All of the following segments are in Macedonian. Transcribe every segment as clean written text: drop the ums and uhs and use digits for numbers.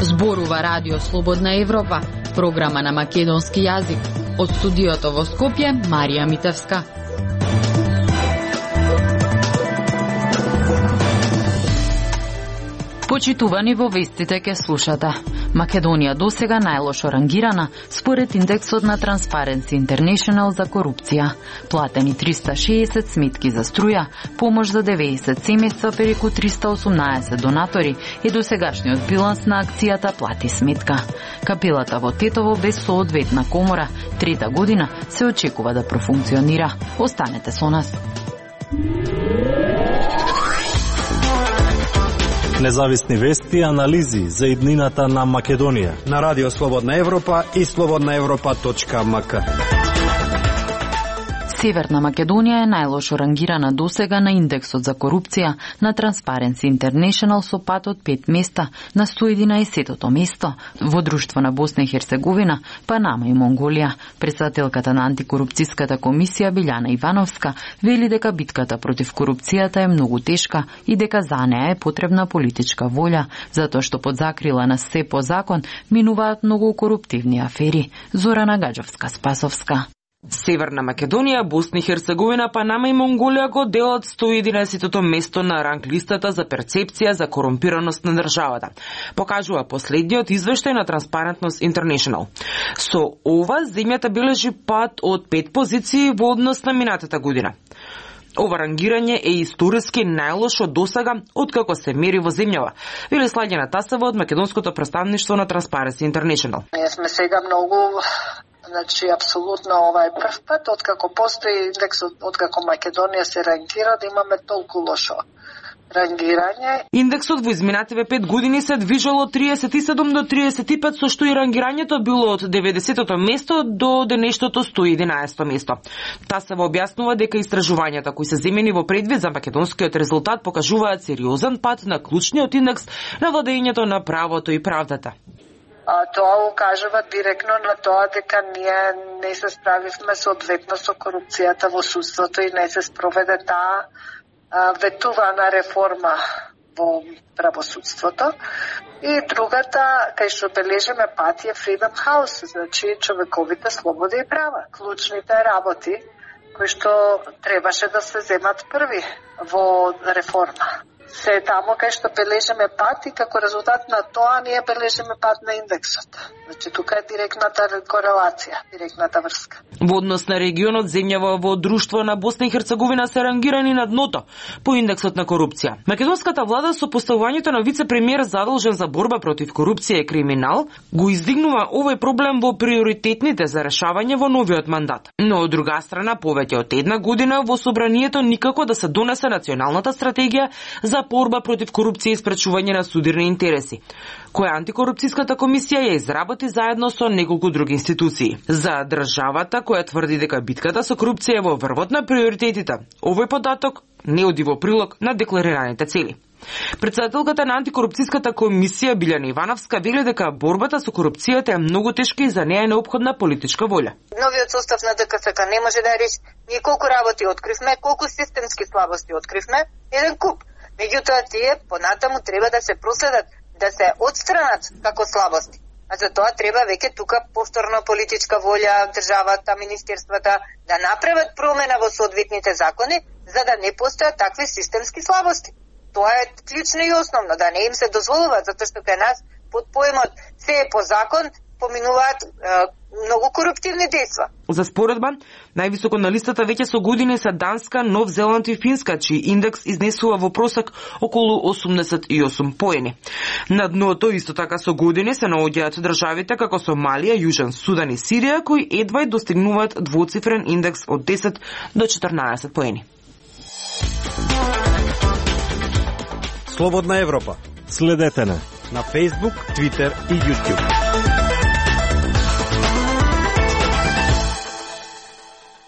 Зборува Радио Слободна Европа, програма на македонски јазик. Од студиото во Скопје, Марија Митевска. Почитувани, во вестите ке слушате. Македонија досега најлошо рангирана според индексот на Transparency International за корупција. Платени 360 сметки за струја, помош за 90 семејства преку 318 донатори и досегашниот биланс на акцијата плати сметка. Капелата во Тетово без соодветна комора, трета година се очекува да профункционира. Останете со нас. Независни вести и анализи за иднината на Македонија на Радио Слободна Европа и slobodnaevropa.mk. Северна Македонија е најлошо рангирана досега на индексот за корупција на Transparency International со пат од 5 места на 111-тото место во друштво на Босна и Херцеговина, Панама и Монголија. Претседателката на антикорупцијската комисија Билјана Ивановска вели дека битката против корупцијата е многу тешка и дека за неа е потребна политичка волја, затоа што под закрила на се по закон минуваат многу коруптивни афери. Зорана Гаджовска-Спасовска. Северна Македонија, Босна и Херцеговина, Панама и Монголија го делат 111-тото место на ранглистата за перцепција за корумпираност на државата, покажува последниот извештај на Transparency International. Со ова, земјата бележи пат од 5 позиции во однос на минатата година. Ова рангирање е историски најлошо досега откако се мери во земјава, вели Слаѓана Тасева од македонското представништво на Transparency International. Ние сме сега многу апсолутно ова е прв пат, откако постои индексот, откако Македонија се рангира, да имаме толку лошо рангирање. Индексот во изминативе 5 години се движало од 37 до 35, со што и рангирањето било од 90-тото место до денешното 111-то место. Тасева објаснува дека истражувањата кои се земени во предвид за македонскиот резултат покажуваат сериозен пат на клучниот индекс на владењето на правото и правдата. Тоа укажува директно на тоа дека ние не се справивме соодветно со корупцијата во судството и не се спроведе таа ветувана реформа во правосудството. И другата, кај што бележиме пат, е Freedom House, значи човековите слободи и права, клучните работи кои што требаше да се земат први во реформа. Се тамо кај што бележиме пат и како резултат на тоа ние бележиме пат на индексот. Значи тука е директната корелација, директната врска. Во однос на регионот, земјава во друштво на Босна и Херцеговина се рангирани на дното по индексот на корупција. Македонската влада со поставувањето на вице-премиер задолжен за борба против корупција и криминал го издигнува овој проблем во приоритетните за решавање во новиот мандат. Но од друга страна, повеќе од една година во собранието никако да се донесе националната стратегија за борба против корупција и спречување на судирни интереси, која антикорупцијската комисија ја изработи заедно со неколку други институции. За државата која тврди дека битката со корупција е во врвот на приоритетите, овој податок не оди во прилог на декларираните цели. Претседателката на антикорупцијската комисија Билјана Ивановска вели дека борбата со корупцијата е многу тешка и за неа е неопходна политичка волја. Новиот состав на ДКСК не може да реши. Ние колку работи откривме, колку системски слабости откривме, еден куп. Меѓутоа тие понатаму треба да се проследат, да се отстранат како слабости. А за тоа треба веќе тука повторно политичка волја, државата, министерствата да направат промена во соодветните закони, за да не постојат такви системски слабости. Тоа е клучно и основно, да не им се дозволува, затоа што кај нас под поемот се е по закон, поминуваат многу коруптивни дејства. За споредба, највисоко на листата веќе со години се Данска, Нов Зеланд и Финска, чиј индекс изнесува во просек околу 88 поени. На дното исто така со години се наоѓаат државите како Сомалија, Јужен Судан и Сирија, кои едва достигнуваат двоцифрен индекс од 10 до 14 поени. Слободна Европа. Следете на Facebook, Twitter и YouTube.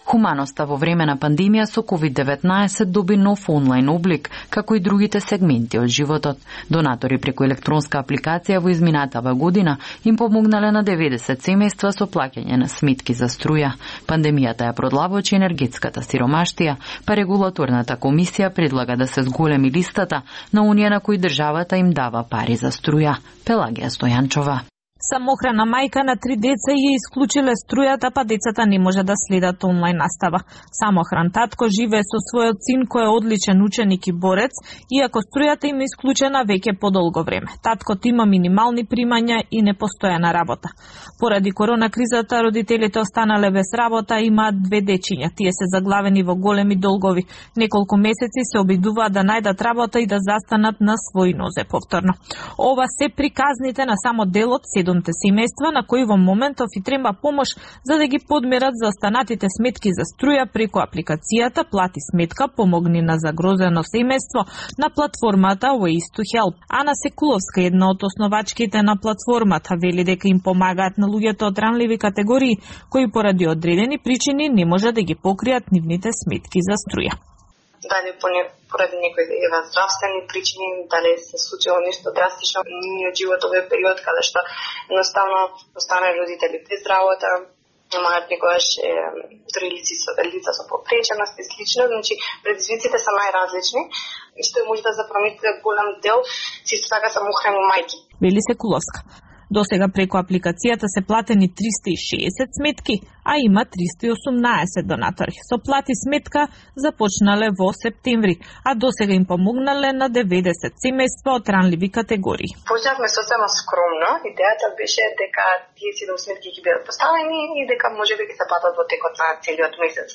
Хуманоста во време на пандемија со COVID-19 доби нов онлайн облик, како и другите сегменти од животот. Донатори преку електронска апликација во изминатава година им помогнале на 90 семејства со плаќање на сметки за струја. Пандемијата ја продлабочи енергетската сиромаштија, па регулаторната комисија предлага да се зголеми листата на оние на кои државата им дава пари за струја. Пелагија Стојанчова. Самохрана мајка на 3 деца ја исклучиле струјата, па децата не може да следат онлайн настава. Самохран татко живее со својот син кој е одличен ученик и борец, иако струјата им е исклучена веќе подолго време. Таткот има минимални примања и непостојана работа. Поради корона кризата, родителите останале без работа, имаат 2 дечиња. Тие се заглавени во големи долгови. Неколку месеци се обидуваат да најдат работа и да застанат на свој нозе повторно. Ова се приказните на само дел од 7 семејства на кои во моментов и треба помош за да ги подмерат за останатите сметки за струја преку апликацијата Плати сметка, помогни на загрозено семејство на платформата Ways to Help. Ана Секуловска, една од основачките на платформата, вели дека им помагаат на луѓето од ранливи категории кои поради одредени причини не може да ги покријат нивните сметки за струја. Дали поради некои здравствени причини, дали се случило нешто драстично од живот овој период, каде што едноставно останале родители без работа, имаат некогаш лица со попреченост и слично, значи предизвиците се најразлични и што може да запромите голем дел, исто така самохрани мајки. Вели Секуловска. Досега преку апликацијата се платени 360 сметки, а има 318 донатори. Со Плати сметка започнале во септември, а досега им помогнале на 90 семејства од ранливи категории. Почнавме сосема скромно. Идејата беше дека тие 7 сметки ќе бидат поставени и дека можеби ќе се платат во текот на целиот месец.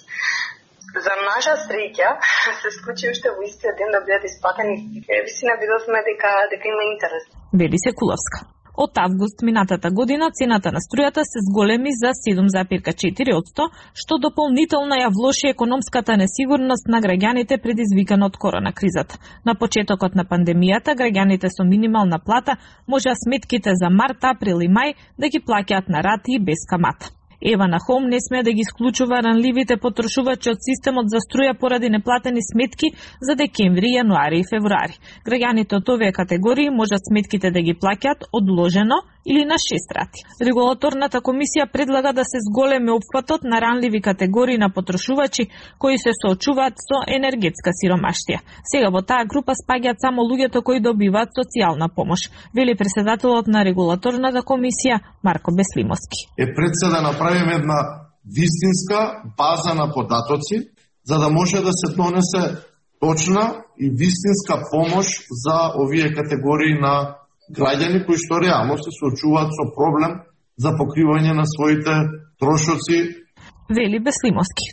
За наша среќа се случи уште во истиот ден да бидат исплатени. Висина видовме дека има интерес. Вели Секуловска. Од август минатата година цената на струјата се зголеми за 7,4%, што дополнително ја влоши економската несигурност на граѓаните предизвикана од корона кризата. На почетокот на пандемијата, граѓаните со минимална плата можеа сметките за март, април и мај да ги плаќаат на рати и без камата. Евана Хом не сме да ги исклучува ранливите потрошувачи од системот за струја поради неплатени сметки за декември, јануари и февруари. Граѓаните од овие категории можат сметките да ги плаќаат одложено или на 6 рати. Регулаторната комисија предлага да се зголеми опфатот на ранливи категории на потрошувачи кои се соочуваат со енергетска сиромаштија. Сега во таа група спаѓаат само луѓето кои добиваат социјална помош, вели председателот на регулаторната комисија Марко Беслимовски. Пред се да направиме една вистинска база на податоци, за да може да се донесе точна и вистинска помош за овие категории на граѓани кои што реално се соочуваат со проблем за покривање на своите трошоци. Вели Беслимовски.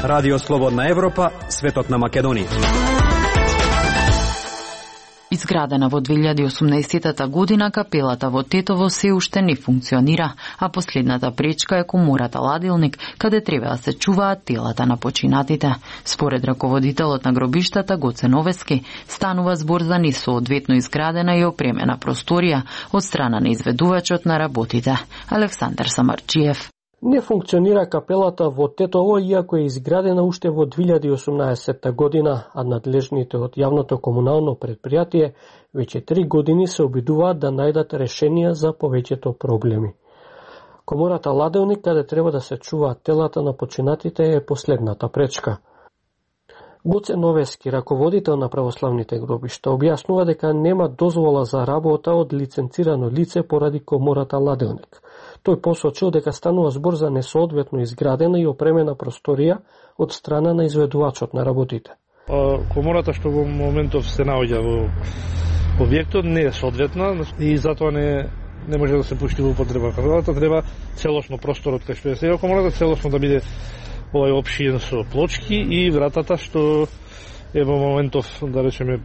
Радио Слободна Европа, светот на Македонија. Изградена во 2018 година, капелата во Тетово се уште не функционира, а последната пречка е комората Ладилник, каде треба да се чуваат телата на починатите. Според раководителот на гробиштата Гоце Новески, станува збор за несоодветно изградена и опремена просторија од страна на изведувачот на работите, Александар Самарчиев. Не функционира капелата во Тетово, иако е изградена уште во 2018 година, а надлежните од јавното комунално предпријатие веќе 3 години се обидуваат да најдат решенија за повеќето проблеми. Комората Ладилник, каде треба да се чуваат телата на починатите, е последната пречка. Гоце Новески, раководител на православните гробишта, објаснува дека нема дозвола за работа од лиценцирано лице поради комората Ладилник. Тој посочил дека станува збор за несоодветно изградена и опремена просторија од страна на изведувачот на работите. Комората што во моментов се наоѓа во објектот не е соодветна и затоа не може да се пушти во употреба. Капелата треба целосно просторот кај што е сега комората целосно да биде овој опшиен со плочки и вратата што е во моментов, да речеме,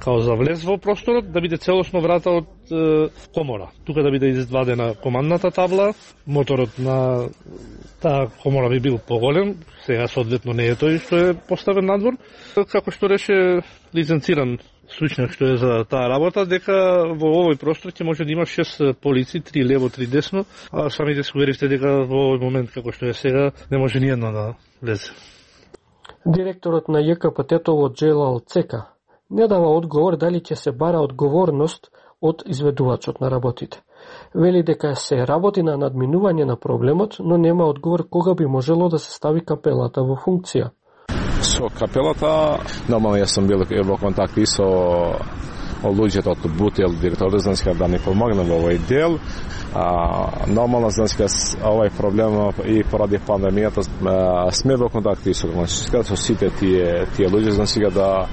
као за влез во просторот, да биде целосно врата од комора. Тука да биде извадена командната табла, моторот на таа комора би бил поголем, сега соодветно не е тој што е поставен надвор. Како што реше лиценциран случнак што е за таа работа, дека во овој простор ќе може да има 6 полици, 3 лево, 3 десно, а самите се уверивте дека во овој момент како што е сега не може ни едно да влезе. Директорот на ЈКПТ-то Джелал Цека не дава одговор дали ќе се бара одговорност од изведувачот на работите. Вели дека се работи на надминување на проблемот, но нема одговор кога би можело да се стави капелата во функција. Со капелата, нормално јас сум бил во контакти со луѓето од Бутел, директорот, значи да ни помогне во овој дел. Нормално, значи, овој проблем и поради пандемијата сме во контакти со сите тие луѓе, значи да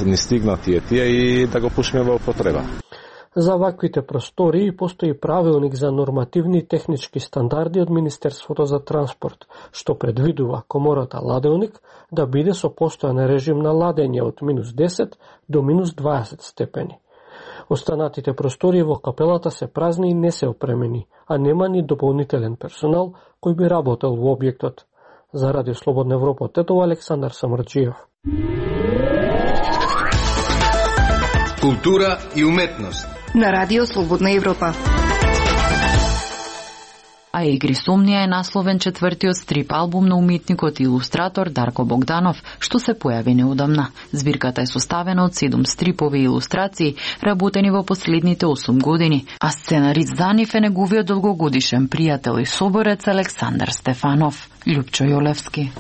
не стигнат тие и да го пушиме во употреба. За ваквите простории постои правилник за нормативни технички стандарди од Министерството за транспорт, што предвидува комората ладеоник да биде со постојан режим на ладење од -10 до -20 степени. Останатите простории во капелата се празни и не се опремени, а нема ни дополнителен персонал кој би работел во објектот. За Радио Слободна Европа од Тетово, Александар Самарджиев. Култура и уметност на Радио Слободна Европа. А Игрисомнија е насловен четвртиот стрип албум на уметникот и илустратор Дарко Богданов, што се појави неодамна. Збирката е составена од 7 стрипови и илустрации, работени во последните 8 години, а сценарист за нив е неговиот долгогодишен пријател и соборец Александар Стефанов. Љупчо Јолевски.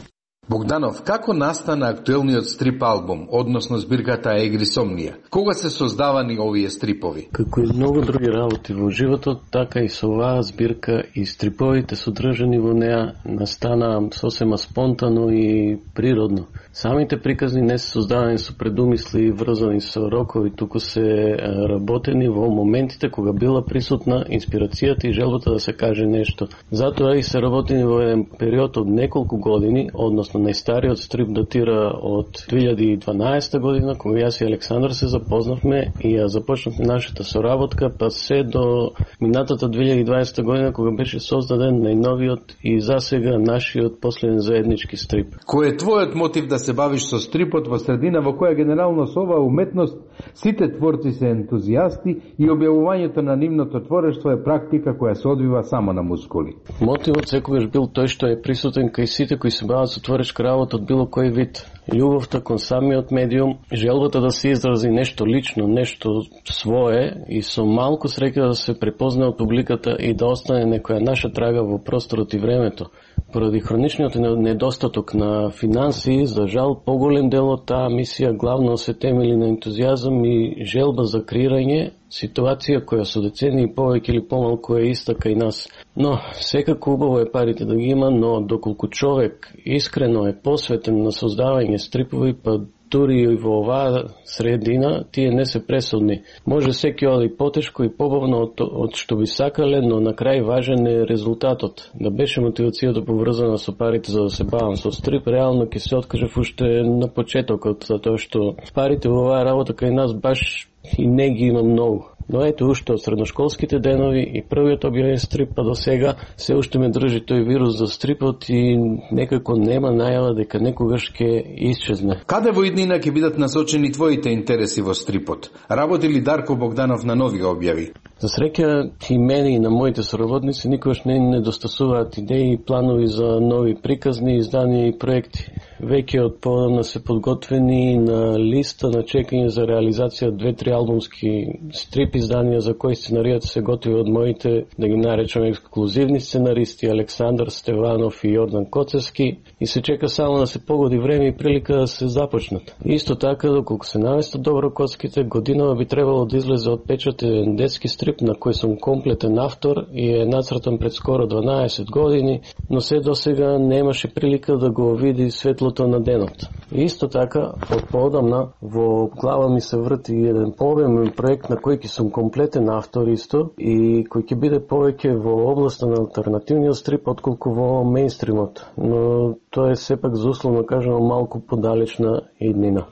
Богданов, како настана актуелниот стрип албум, односно збирката Игрисомнија? Кога се создавани овие стрипови? Како и многу други работи во животот, така и со оваа збирка и стриповите содржани во неа настана сосема спонтано и природно. Самите приказни не се создавани со предумисли и врзани со рокови, туку се работени во моментите кога била присутна инспирацијата и желбата да се каже нешто. Затоа и се работени во еден период од неколку години, односно најстариот стрип датира од 2012 година, кога јас и Александар се запознавме и ја започнавме нашата соработка, па се до минатата 2020 година, кога беше создаден најновиот и засега нашиот последен заеднички стрип. Кој е твојот мотив да се бавиш со стрипот во средина во која генерално со оваа уметност сите творци се ентузијасти и објавувањето на нивното творештво е практика која се одвива само на мускули? Мотивот секогаш бил тој што е присутен кај сите кои се бават со творечка работа од било кој вид. Љубовта кон самиот медиум, желбата да се изрази нешто лично, нешто свое и со малку среќа да се препознае од публиката и да остане некоја наша трага во просторот и времето. Поради хроничниот недостаток на финансии, за жал, поголем дел од таа мисија главно се темели на ентузијазам и желба за креирање, ситуација која со децени повеќе или помалку е иста кај нас. Но, секако убаво е парите да ги има, но доколку човек искрено е посветен на создавање стрипови, па дури и во оваа средина, тие не се пресудни. Може секи оди потешко и побавно од што би сакале, но на крај важен е резултатот. Да беше мотивацијата поврзана со парите за да се бавам со стрип, реално ќе се откажев уште на почетокот, затоа што парите во оваа работа кај нас баш и не ги има многу. Но ето уште од средношколските денови и првиот објавен стрип па до сега се уште ме држи тој вирус за стрипот и некако нема најава дека некогаш ќе исчезне. Каде во иднина ќе бидат насочени твоите интереси во стрипот? Работи ли Дарко Богданов на нови објави? За среќа и мене и на моите соработници никогаш не недостасуваат идеи и планови за нови приказни, издания и проекти. Веќе од подамна се подготвени на листа на чекање за реализација 2-3 албумски стрип изданија за кои сценаријата се готови од моите, да ги наречам ексклузивни сценаристи Александар Стеванов и Јордан Коцевски и се чека само да се погоди време и прилика да се започнат. Исто така, доколку се наместат добро коцките, годинава би требало да излезе отпечатен детски стрип на кој сум комплетен автор и е нацртан пред скоро 12 години, но се до сега немаше прилика да го види светлото на денот. И исто така, од поодамна во глава ми се врти еден пообемен проект на кој ќе сум комплетен автор исто и кој ќе биде повеќе во областа на алтернативниот стрип отколку во мејнстримот, но тоа е сепак за условно кажано малку подалечна иднина.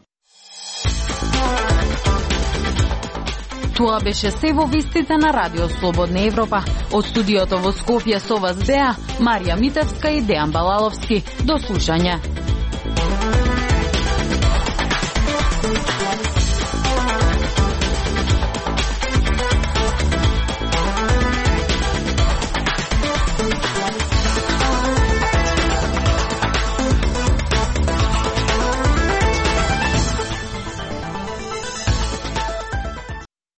Тоа беше се во вестите на Радио Слободна Европа. Од студиото во Скопје со вас беа Марија Митевска и Дејан Балаловски. До слушање.